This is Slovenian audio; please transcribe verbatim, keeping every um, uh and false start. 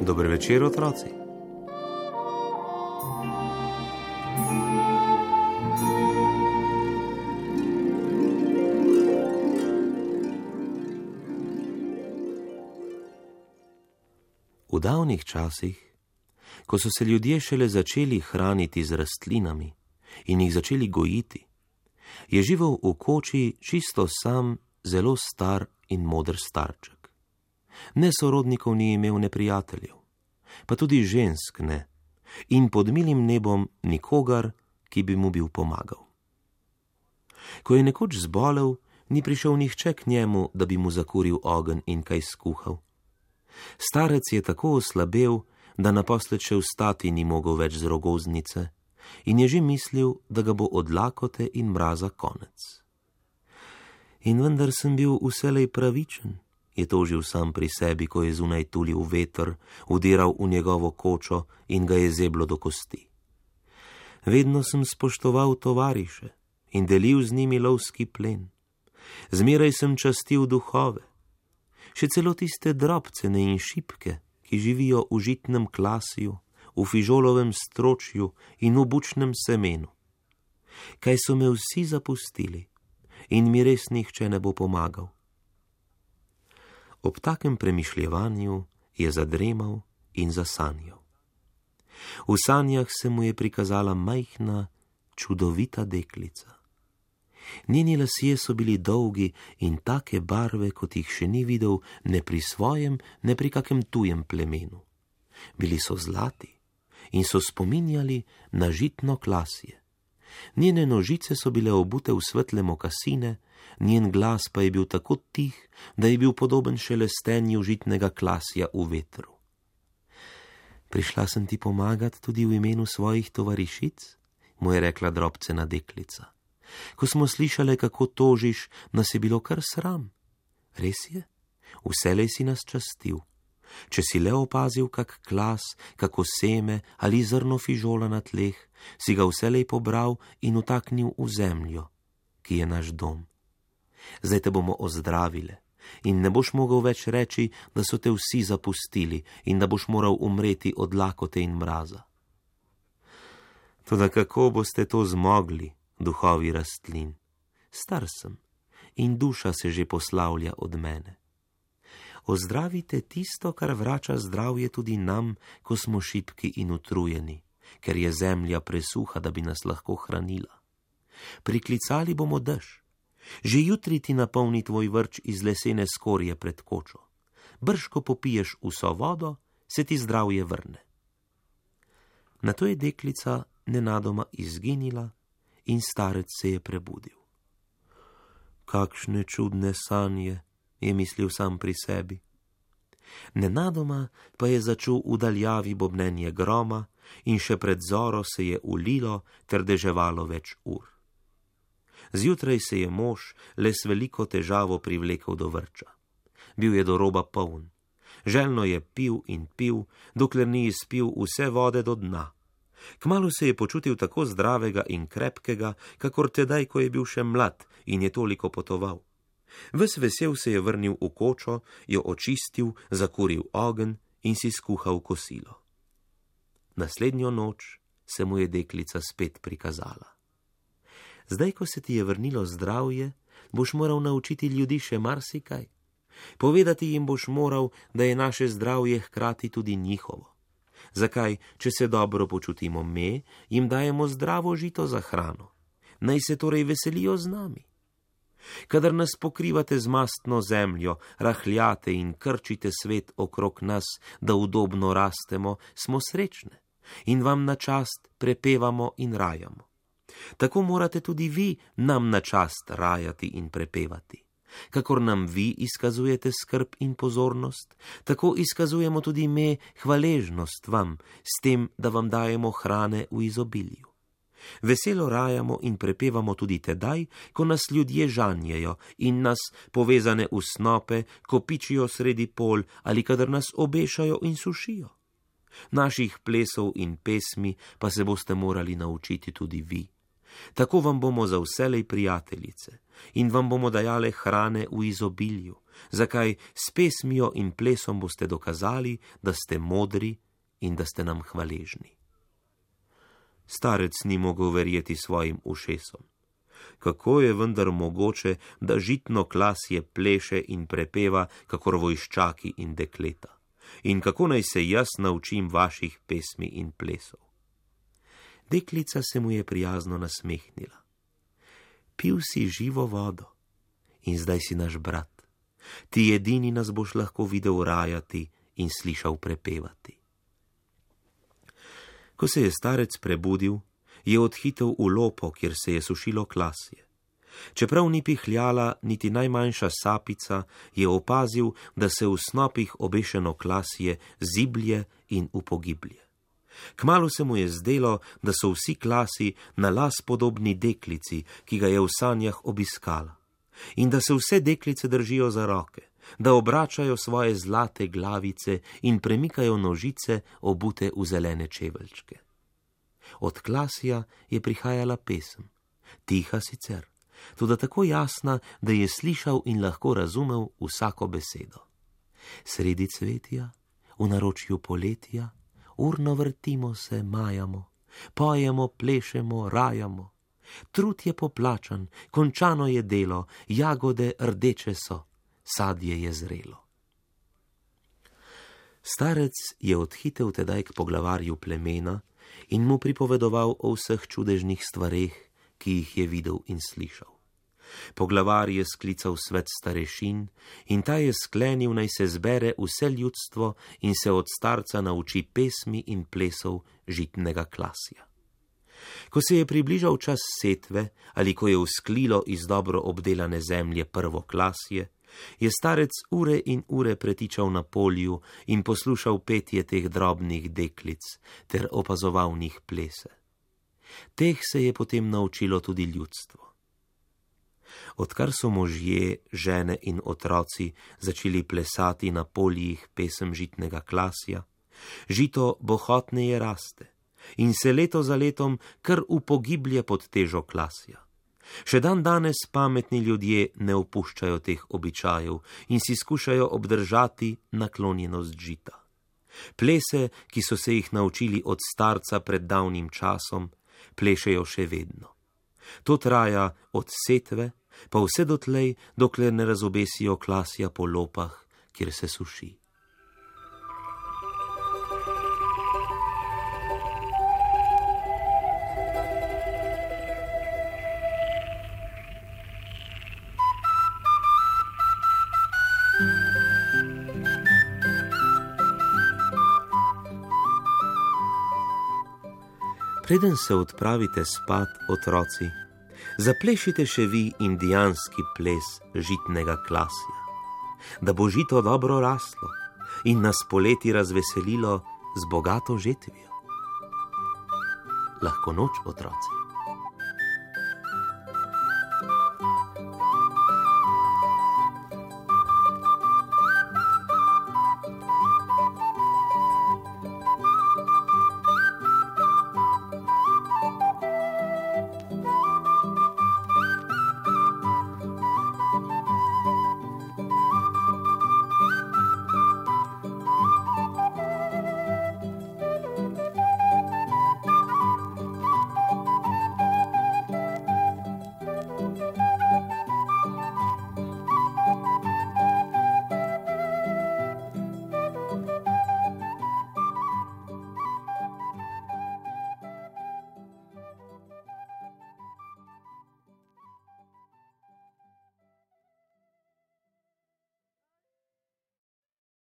Dober večer, otroci. V davnih časih, ko so se ljudje šele začeli hraniti z rastlinami in jih začeli gojiti, je živel v koči čisto sam, zelo star in moder starček. Ne sorodnikov ni imel, ne prijateljev, pa tudi žensk ne, in pod milim nebom nikogar, ki bi mu bil pomagal. Ko je nekoč zbolel, ni prišel nihče k njemu, da bi mu zakuril ogenj in kaj skuhal. Starec je tako oslabel, da naposled še vstati ni mogel več z rogoznice in je že mislil, da ga bo od lakote in mraza konec. In vendar sem bil vselej pravičen, je tožil sam pri sebi, ko je zunaj tulil veter, vdiral v njegovo kočo in ga je zeblo do kosti. Vedno sem spoštoval tovariše in delil z njimi lovski plen. Zmeraj sem častil duhove, še celo tiste drobcene in šipke, ki živijo v žitnem klasju, v fižolovem stročju in v bučnem semenu. Kaj so me vsi zapustili in mi res nihče ne bo pomagal. Ob takem premišljevanju je zadremal in zasanjal. V sanjah se mu je prikazala majhna, čudovita deklica. Njeni lasje so bili dolgi in take barve, kot jih še ni videl ne pri svojem, ne pri kakem tujem plemenu. Bili so zlati in so spominjali na žitno klasje. Njene nožice so bile obute v svetle mokasine, njen glas pa je bil tako tih, da je bil podoben šelestenju žitnega klasja v vetru. Prišla sem ti pomagat tudi v imenu svojih tovarišic, mu je rekla drobcena deklica. Ko smo slišale, kako tožiš, nas je bilo kar sram. Res je, vselej si nas častil. Če si le opazil kak klas, kako seme ali zrno fižola na tleh, si ga vselej pobral in utaknil v zemljo, ki je naš dom. Zdaj te bomo ozdravile in ne boš mogel več reči, da so te vsi zapustili in da boš moral umreti od lakote in mraza. Toda kako boste to zmogli, duhovi rastlin? Star sem in duša se že poslavlja od mene. Ozdravite tisto, kar vrača zdravje tudi nam, ko smo šibki in utrujeni, ker je zemlja presuha, da bi nas lahko hranila. Priklicali bomo dež. Že jutri ti napolni tvoj vrč iz lesene skorje pred kočo. Brž, ko popiješ vso vodo, se ti zdravje vrne. Nato je deklica nenadoma izginila in starec se je prebudil. Kakšne čudne sanje, je mislil sam pri sebi. Nenadoma pa je začul v daljavi bobnenje groma in še pred zoro se je ulilo ter deževalo več ur. Zjutraj se je mož le s veliko težavo privlekel do vrča. Bil je do roba poln. Željno je pil in pil, dokler ni izpil vse vode do dna. Kmalu se je počutil tako zdravega in krepkega, kakor tedaj, ko je bil še mlad in je toliko potoval. Ves vesel se je vrnil v kočo, jo očistil, zakuril ogenj in si skuhal kosilo. Naslednjo noč se mu je deklica spet prikazala. Zdaj, ko se ti je vrnilo zdravje, boš moral naučiti ljudi še marsikaj. Povedati jim boš moral, da je naše zdravje hkrati tudi njihovo. Zakaj, če se dobro počutimo me, jim dajemo zdravo žito za hrano? Naj se torej veselijo z nami. Kadar nas pokrivate z mastno zemljo, rahljate in krčite svet okrog nas, da udobno rastemo, smo srečne in vam na čast prepevamo in rajamo. Tako morate tudi vi nam na čast rajati in prepevati. Kakor nam vi izkazujete skrb in pozornost, tako izkazujemo tudi me hvaležnost vam, s tem, da vam dajemo hrane v izobilju. Veselo rajamo in prepevamo tudi tedaj, ko nas ljudje žanjejo in nas, povezane v snope, kopičijo sredi pol ali kadar nas obešajo in sušijo. Naših plesov in pesmi pa se boste morali naučiti tudi vi. Tako vam bomo za vselej prijateljice in vam bomo dajale hrane v izobilju, zakaj s pesmijo in plesom boste dokazali, da ste modri in da ste nam hvaležni. Starec ni mogel verjeti svojim ušesom. Kako je vendar mogoče, da žitno klasje pleše in prepeva, kakor vojščaki in dekleta? In kako naj se jaz naučim vaših pesmi in plesov? Deklica se mu je prijazno nasmehnila. Pil si živo vodo in zdaj si naš brat. Ti edini nas boš lahko videl rajati in slišal prepevati. Ko se je starec prebudil, je odhitel v lopo, kjer se je sušilo klasje. Čeprav ni pihljala niti najmanjša sapica, je opazil, da se v snopih obešeno klasje ziblje in upogiblje. Kmalu se mu je zdelo, da so vsi klasi na las podobni deklici, ki ga je v sanjah obiskala, in da se vse deklice držijo za roke, da obračajo svoje zlate glavice in premikajo nožice obute v zelene čeveljčke. Od klasja je prihajala pesem, tiha sicer, toda tako jasna, da je slišal in lahko razumel vsako besedo. Sredi cvetja, v naročju poletja, urno vrtimo se, majamo, pojemo, plešemo, rajamo. Trud je poplačan, končano je delo, jagode rdeče so, sadje je zrelo. Starec je odhitel tedaj k poglavarju plemena in mu pripovedoval o vseh čudežnih stvareh, ki jih je videl in slišal. Poglavar je sklical svet starešin in ta je sklenil, naj se zbere vse ljudstvo in se od starca nauči pesmi in plesov žitnega klasja. Ko se je približal čas setve ali ko je vzklilo iz dobro obdelane zemlje prvo klasje, je starec ure in ure pretičal na polju in poslušal petje teh drobnih deklic ter opazoval njih plese. Teh se je potem naučilo tudi ljudstvo. Odkar so možje, žene in otroci začeli plesati na poljih pesem žitnega klasja, žito bohotneje raste in se leto za letom kar upogiblje pod težo klasja. Še dan danes pametni ljudje ne opuščajo teh običajev in si skušajo obdržati naklonjenost žita. Plese, ki so se jih naučili od starca pred davnim časom, plešejo še vedno. To traja od setve pa vse dotlej, dokler ne razobesijo klasja po lopah, kjer se suši. Preden se odpravite spat, otroci, zaplešite še vi indijanski ples žitnega klasja, da bo žito dobro raslo in nas poleti razveselilo z bogato žetvijo. Lahko noč, otroci.